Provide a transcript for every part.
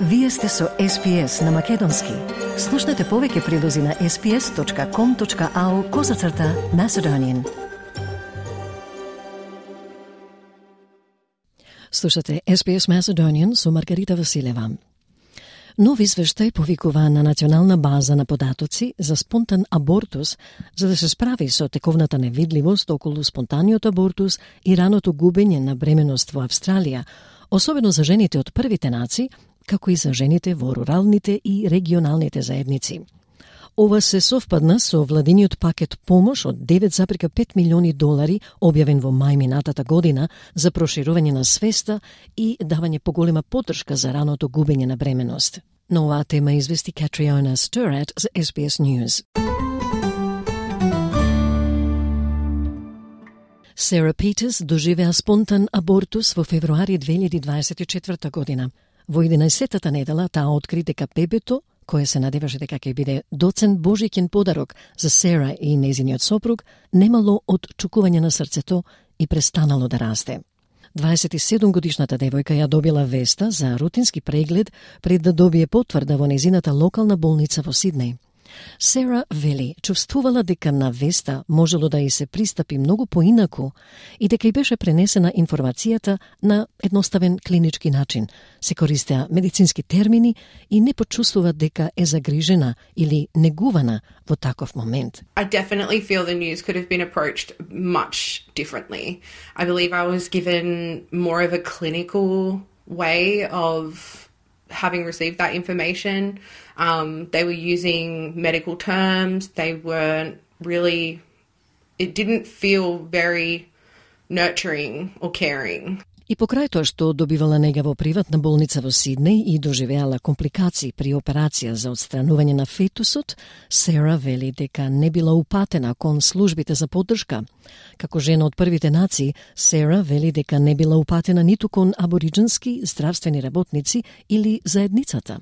Вие сте со SPS на Македонски. Слушнете повеќе прилози на sps.com.au/Macedonian. Слушате SPS Macedonian со Маргарита Василева. Нов извештај повикува на национална база на податоци за спонтан абортус, за да се справи со тековната невидливост околу спонтаниот абортус и раното губење на бременост во Австралија, особено за жените од првите нации, како и за жените во руралните и регионалните заедници. Ова се совпадна со владиниот пакет помош од $9,5 милиони објавен во мај минатата година за проширување на свеста и давање поголема поддршка за раното губење на бременост. На оваа тема извести Катриона Стерат за SBS News. Сара Питерс доживеа спонтан абортус во февруари 2024 година. Во 11-тата недела таа откри дека бебето, кое се надеваше дека ќе биде доцен божиќен подарок за Сара и нејзиниот сопруг, немало отчукување на срцето и престанало да расте. 27-годишната девојка ја добила веста за рутински преглед пред да добие потврда во нејзината локална болница во Сиднеј. Сара вели, чувствувала дека на веста можело да и се пристапи многу поинаку и дека и беше пренесена информацијата на едноставен клинички начин. Се користеа медицински термини и не почувствува дека е загрижена или негувана во таков момент. I definitely feel the news could have been approached much differently. I believe I was given more of a clinical way of having received that information. They were using medical terms. They weren't really, it didn't feel very nurturing or caring. И покрај тоа што добивала нега во приватна болница во Сиднеј и доживеала компликации при операција за отстранување на фетусот, Сара вели дека не била упатена кон службите за поддршка. Како жена од првите нации, Сара вели дека не била упатена ниту кон абориџински здравствени работници или заедницата.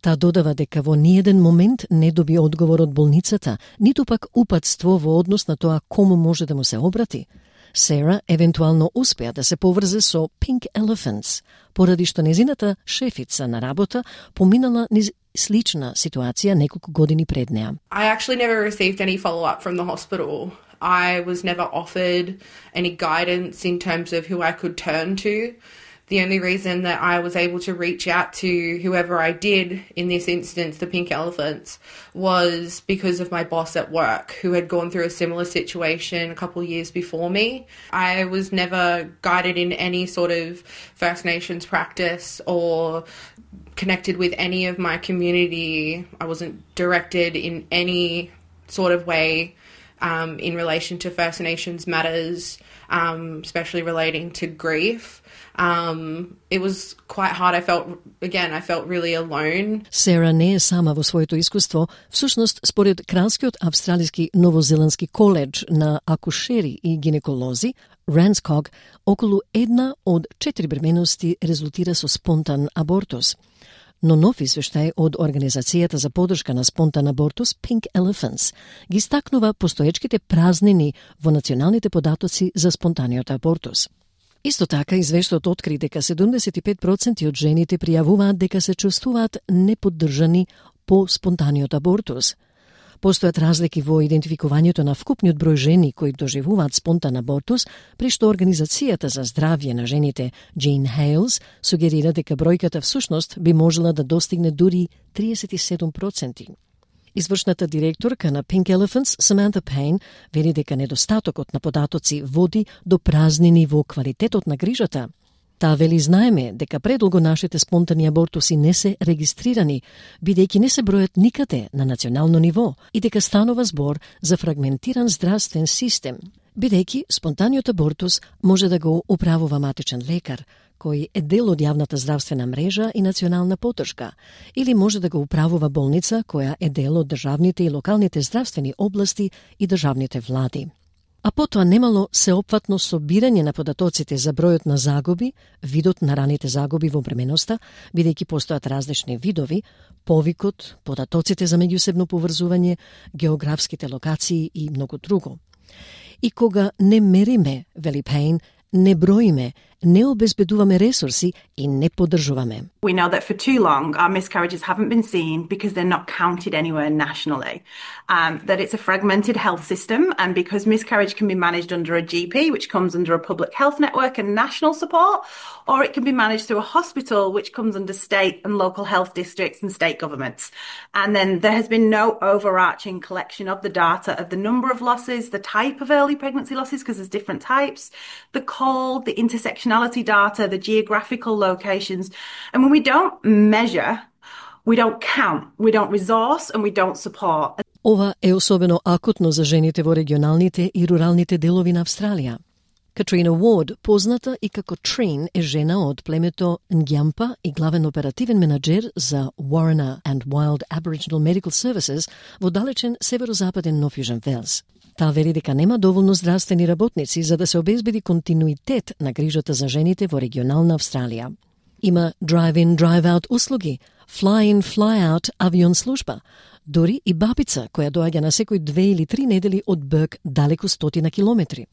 Таа додава дека во ниеден момент не доби одговор од болницата, ниту пак упатство во однос на тоа кому може да му се обрати. Сара евентуално успеа да се поврзе со Pink Elephants, поради што незината шефица на работа поминала низ слична ситуација неколку години пред неа. I actually never received any follow-up from the hospital. I was never offered any guidance in terms of who I could turn to. The only reason that I was able to reach out to whoever I did, in this instance, the Pink Elephants, was because of my boss at work, who had gone through a similar situation a couple of years before me. I was never guided in any sort of First Nations practice or connected with any of my community. I wasn't directed in any sort of way in relation to First Nations matters, especially relating to grief. It was quite hard. I felt really alone. Сара не е сама во своето искуство. Всушност, според Кралскиот австралиски новозеландски коледж на акушери и гинеколози, Ranscog, околу 1 од 4 бременности резултира со спонтан абортус. Но нов извештај од Организацијата за поддршка на спонтан абортус Pink Elephants ги стакнува постоечките празнини во националните податоци за спонтаниот абортус. Исто така, извештајот откри дека 75% од жените пријавуваат дека се чувствуваат неподдржани по спонтаниот абортус. Постојат разлики во идентификувањето на вкупниот број жени кои доживуваат спонтан абортус, при што Организацијата за здравје на жените Jean Hales сугерира дека бројката всушност би можела да достигне дури 37%. Извршната директорка на Pink Elephants, Samantha Payne, вели дека недостатокот на податоци води до празнини во квалитетот на грижата. Таа вели знаеме дека предолго нашите спонтани абортуси не се регистрирани, бидејќи не се бројат никаде на национално ниво и дека станува збор за фрагментиран здравствен систем, бидејќи спонтаниот абортус може да го управува матичен лекар, кој е дел од јавната здравствена мрежа и национална поддршка, или може да го управува болница која е дел од државните и локалните здравствени области и државните влади. А потоа немало сеопфатно собирање на податоците за бројот на загуби, видот на раните загуби во бременоста, бидејќи постојат различни видови, повикот, податоците за меѓусебно поврзување, географските локации и многу друго. И кога не мериме, вели Пейн, не броиме, не обезбедуваме ресурси и не поддржуваме. We know that for too long our miscarriages haven't been seen because they're not counted anywhere nationally. That it's a fragmented health system, and because miscarriage can be managed under a GP, which comes under a public health network and national support, or it can be managed through a hospital, which comes under state and local health districts and state governments. And then there has been no overarching collection of the data of the number of losses, the type of early pregnancy losses, because there's different types, the cold, the intersectionality data, the geographical locations. And when we don't measure, we don't count, we don't resource, and we don't support. Ова е особено акутно за жените во регионалните и руралните делови на Австралија. Катрина Уорд, позната и како Trine, е жена од племето Нѓампа и главен оперативен менаџер за Warriner and Wild Aboriginal Medical Services во далечен северозападен Нов Јужен Велс. Таа вели дека нема доволно здравствени работници за да се обезбеди континуитет на грижата за жените во регионална Австралија. Има drive-in, drive-out услуги, fly-in, fly-out авион служба, дори и бабица која доаѓа на секој 2 или 3 недели од Бърк далеку 100 километри.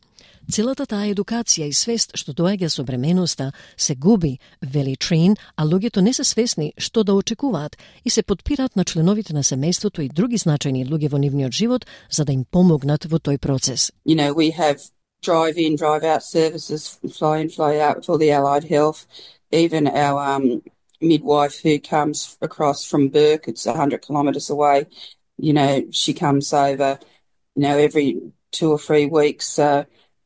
Целата таа едукација и свест што доаѓа со бременоста се губи, вели Trine, а луѓето не се свесни што да очекуваат и се подпираат на членовите на семејството и други значајни луѓе во нивниот живот за да им помогнат во тој процес. You know, we have drive-in, drive-out services, fly-in, fly-out for the allied health. Even our midwife who comes across from Bourke, it's 100 kilometres away, you know, she comes over, you know, every 2 or 3 weeks.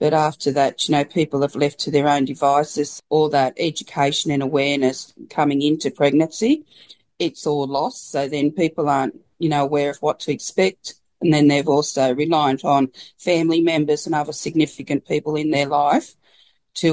But after that, you know, people have left to their own devices. All that education and awareness coming into pregnancy, it's all lost. So then people aren't, you know, aware of what to expect. And then they've also reliant on family members and other significant people in their life to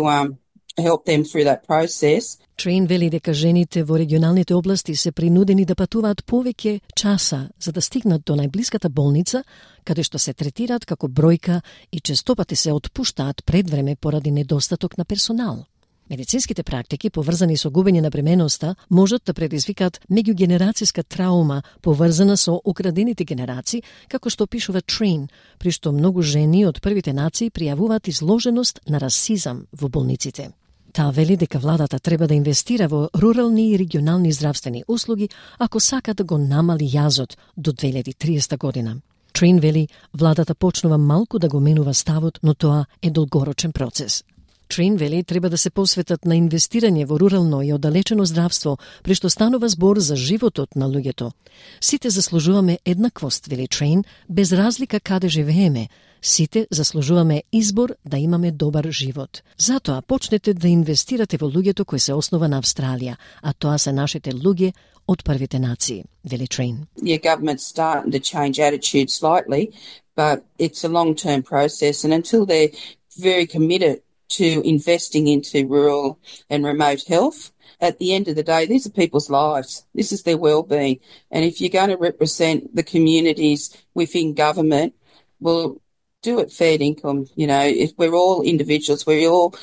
help them through that process. Trine вели дека жените во регионалните области се принудени да патуваат повеќе часа за да стигнат до најблиската болница, каде што се третираат како бројка и честопати се отпуштаат пред време поради недостаток на персонал. Медицинските практики поврзани со губење на бременоста можат да предизвикаат меѓугенерацијска траума поврзана со украдените генерации, како што пишува Trine, при што многу жени од првите нации пријавуваат изложеност на расизам во болниците. Таа вели дека владата треба да инвестира во рурални и регионални здравствени услуги ако сака да го намали јазот до 2030 година. Trine вели владата почнува малку да го менува ставот, но тоа е долгорочен процес. Trine вели треба да се посветат на инвестирање во рурално и оддалечено здравство, при што станува збор за животот на луѓето. Сите заслужуваме еднаквост, вели Trine, без разлика каде живееме. Сите заслужуваме избор да имаме добар живот. Затоа почнете да инвестирате во луѓето кои се основа на Австралија, а тоа се нашите луѓе од првите нации, вели Trine. Yeah, government's starting to change attitude slightly, but it's a long-term process, and until they're very committed to investing into rural and remote health, at the end of the day, these are people's lives. This is their well-being. And if you're going to represent the communities within government, well, do it fair income. You know, if we're all individuals, we all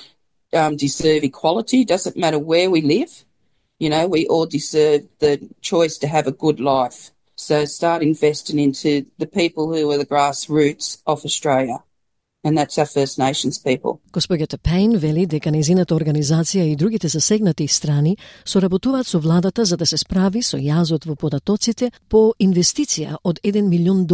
deserve equality. Doesn't matter where we live. You know, we all deserve the choice to have a good life. So start investing into the people who are the grassroots of Australia. And that's our First Nations people. Госпоѓата Пейн вели дека нејзината организација и другите засегнати страни соработуваат со владата за да се справи со јазот во податоците по инвестиција од $1 милион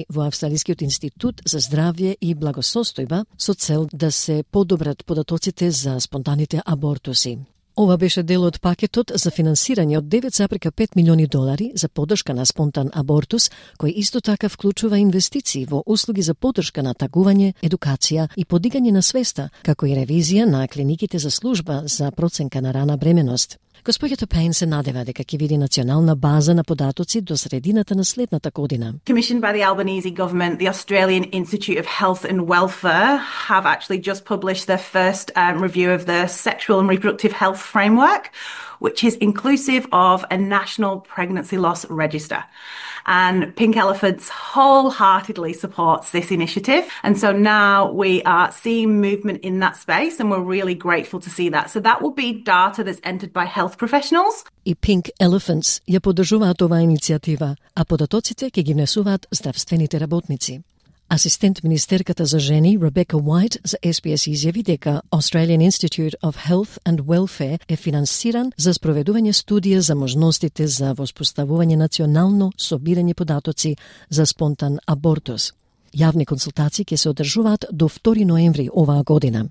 во Австралискиот институт за здравје и благосостојба со цел да се подобрат податоците за спонтаните абортуси. Ова беше дел од пакетот за финансирање од $9,5 милиони за поддршка на спонтан абортус, кој исто така вклучува инвестиции во услуги за поддршка на тагување, едукација и подигање на свеста, како и ревизија на клиниките за служба за проценка на рана бременост. Госпоѓата Пейн се надева дека ќе види национална база на податоци до средината на следната година. Commissioned by the Albanese government, the Australian Institute of Health and Welfare have actually just published their first review of the Sexual and Reproductive Health Framework, which is inclusive of a national pregnancy loss register. And Pink Elephants wholeheartedly supports this initiative. And so now we are seeing movement in that space, and we're really grateful to see that. So that will be data that's entered by health professionals. И Pink Elephants ја поддржуваат оваа иницијатива, а податоците ќе ги внесуваат здравствените работници. Асистент министерката за жени Ребека Уайт за SBS изјави дека Australian Institute of Health and Welfare е финансиран за спроведување студија за можностите за воспоставување национално собирање податоци за спонтан абортус. Јавни консултации ќе се одржуваат до 2 ноември оваа година.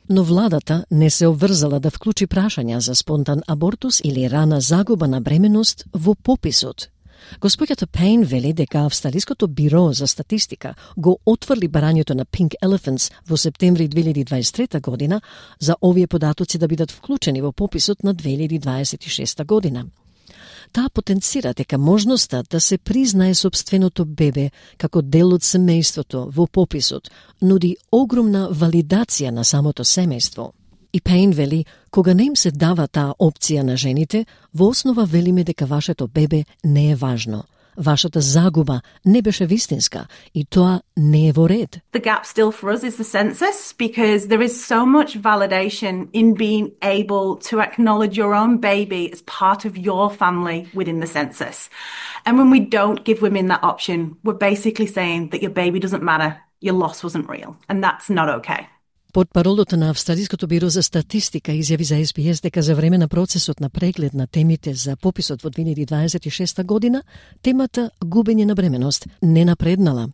Но владата не се обврзала да вклучи прашања за спонтан абортус или рана загуба на бременност во пописот. Господјата Пейн вели дека Австралиското биро за статистика го отврли барањето на Pink Elephants во септември 2023 година за овие податоци да бидат вклучени во пописот на 2026 година. Таа потенцира дека можноста да се признае сопственото бебе како дел од семејството во пописот нуди огромна валидација на самото семејство. И Пейн вели, кога не им се дава таа опција на жените, во основа велиме дека вашето бебе не е важно. Вашата загуба не беше вистинска и тоа не е во ред. The gap still for us is the census because there is so much validation in being able to acknowledge your own baby as part of your family within the census. And when we don't give women that option, we're basically saying that your baby doesn't matter, your loss wasn't real, and that's not okay. Портпаролото на Австралиското биро за статистика изјави за SBS дека за време на процесот на преглед на темите за пописот во 2026 година, темата губење на бременост не напреднала.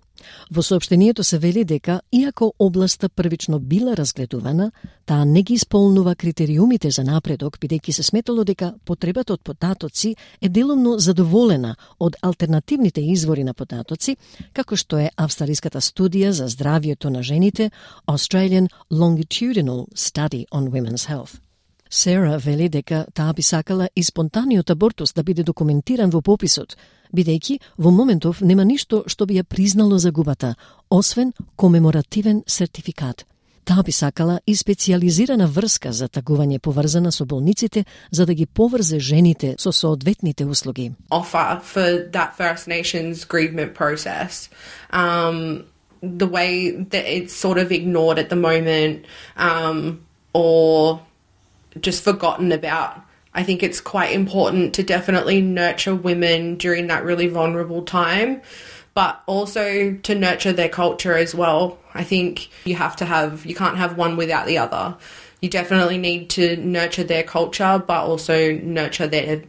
Во соопштението се вели дека, иако областа првично била разгледувана, таа не ги исполнува критериумите за напредок, бидејќи се сметало дека потребата од податоци е делумно задоволена од алтернативните извори на податоци, како што е австралиската студија за здравјето на жените Australian Longitudinal Study on Women's Health. Сера вели дека таа би сакала и спонтаниот абортус да биде документиран во пописот, бидејќи во моментов нема ништо што би ја признало загубата, освен комеморативен сертификат. Таа би сакала и специјализирана врска за тагување поврзана со болниците, за да ги поврзе жените со соодветните услуги. Offer for that First Nations grievement process. The way that it's sort of ignored at the moment, or just forgotten about. I think it's quite important to definitely nurture women during that really vulnerable time, but also to nurture their culture as well. I think you can't have one without the other. You definitely need to nurture their culture, but also nurture their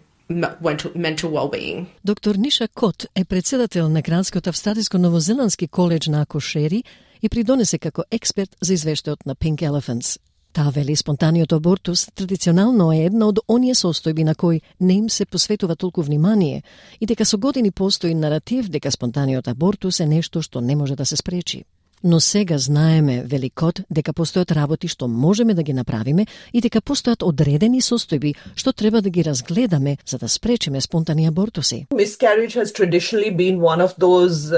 mental well-being. Доктор Ниша Кот е председател на Кралскиот австралиско-новозеландски коледж на акушери и придонесе како експерт за извештајот на Pink Elephants. Таа вели спонтаниот абортус традиционално е една од оние состојби на кои не им се посветува толку внимание и дека со години постои наратив дека спонтаниот абортус е нешто што не може да се спречи. Но сега знаеме, вели Кот, дека постојат работи што можеме да ги направиме и дека постојат одредени состојби што треба да ги разгледаме за да спречиме спонтани абортуси. Miscarriage has traditionally been one of those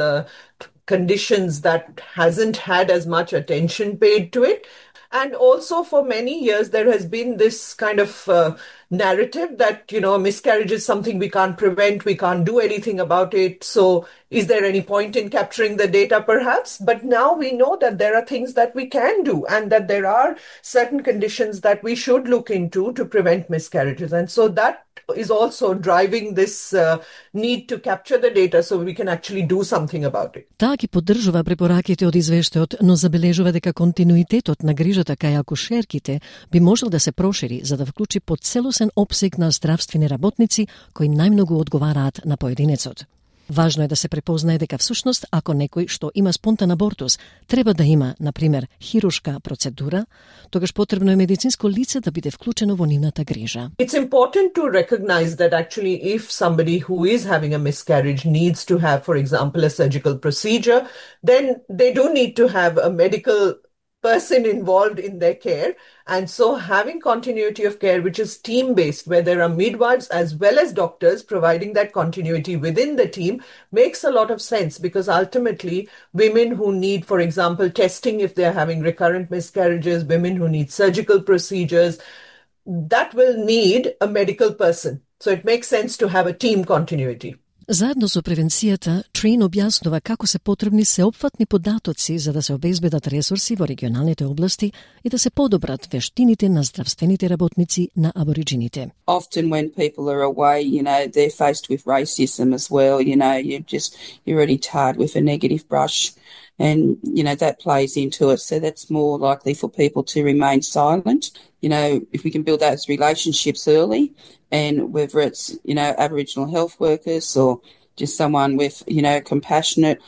conditions that hasn't had as much attention paid to it. And also for many years, there has been this kind of narrative that, miscarriage is something we can't prevent, we can't do anything about it. So is there any point in capturing the data perhaps? But now we know that there are things that we can do and that there are certain conditions that we should look into to prevent miscarriages. And so that is also driving this need to capture the data so we can actually do something about it. Таа ги поддржува препораките од извештајот, но забележува дека континуитетот на грижата кај акушерките би можел да се прошири за да вклучи поцелосен опсег на здравствени работници кои најмногу одговараат на поединецот. Важно е да се препознае дека всушност ако некој што има спонтан абортус треба да има, например, хируршка процедура, тогаш потребно е медицинско лице да биде вклучено во нивната грижа. It's important to recognize that actually if somebody who is having a miscarriage needs to have, for example, a surgical procedure, then they do need to have a medical person involved in their care. And so having continuity of care, which is team-based, where there are midwives as well as doctors providing that continuity within the team, makes a lot of sense because ultimately women who need, for example, testing if they're having recurrent miscarriages, women who need surgical procedures, that will need a medical person. So it makes sense to have a team continuity. Заедно со превенцијата, Трин објаснува како се потребни сеопфатни податоци за да се обезбедат ресурси во регионалните области и да се подобрат вештините на здравствените работници на абориджините. Often when people are away, they're faced with racism as well, you're already tarred with a negative brush. And, that plays into it. So that's more likely for people to remain silent. If we can build those relationships early, and whether it's, Aboriginal health workers or just someone with, compassionate,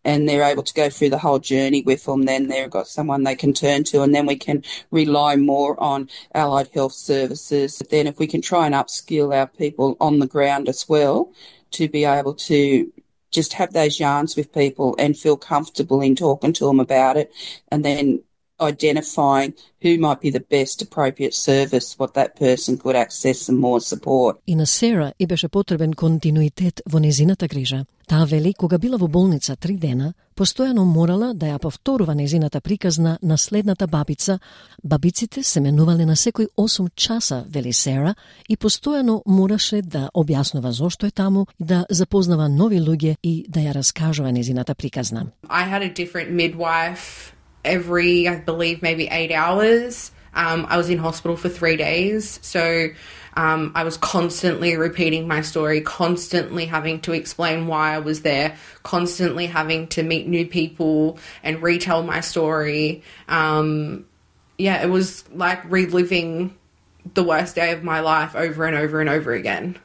and they're able to go through the whole journey with them, then they've got someone they can turn to, and then we can rely more on allied health services. But then if we can try and upskill our people on the ground as well to be able to just have those yarns with people and feel comfortable in talking to them about it, and then identifying who might be the best appropriate service, what that person could access some more support. И на Сера и беше потребен континуитет во незината грижа. Таа вели, кога била во болница 3 дена, постојано морала да ја повторува незината приказна на следната бабица. Бабиците се менувале на секој 8 часа, вели Сера, и постојано мораше да објаснува зошто е таму, да запознава нови луѓе и да ја раскажува незината приказна. I had a different midwife every, I believe, maybe 8 hours. I was in hospital for 3 days. So I was constantly repeating my story, constantly having to explain why I was there, constantly having to meet new people and retell my story. It was like reliving the worst day of my life over and over and over again.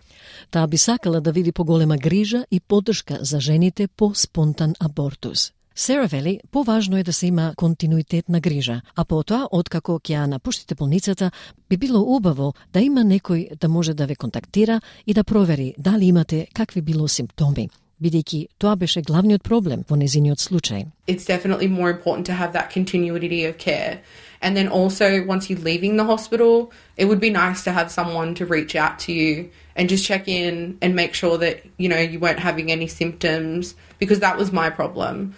Таа би сакала да види поголема грижа и поддршка за жените по спонтан абортус. Сера вели, поважно е да се има континуитет на грижа, а потоа, откако ќе ја напуштите болницата, би било убаво да има некој да може да ве контактира и да провери дали имате какви било симптоми, бидејќи тоа беше главниот проблем во незиниот случај. It's definitely more important to have that continuity of care. And then also, once you're leaving the hospital, it would be nice to have someone to reach out to you and just check in and make sure that, you weren't having any symptoms, because that was my problem.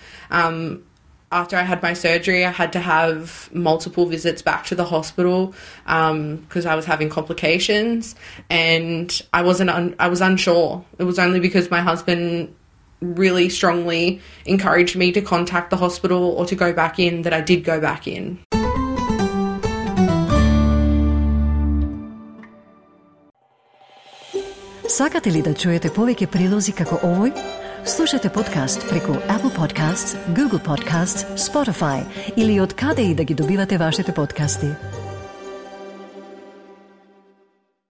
After I had my surgery, I had to have multiple visits back to the hospital because I was having complications, and I was unsure. It was only because my husband really strongly encouraged me to contact the hospital or to go back in that I did go back in. Сакате ли да чуете повеќе прилози како овој? Слушате подкаст преку Apple Podcasts, Google Podcasts, Spotify или од каде и да ги добивате вашите подкасти.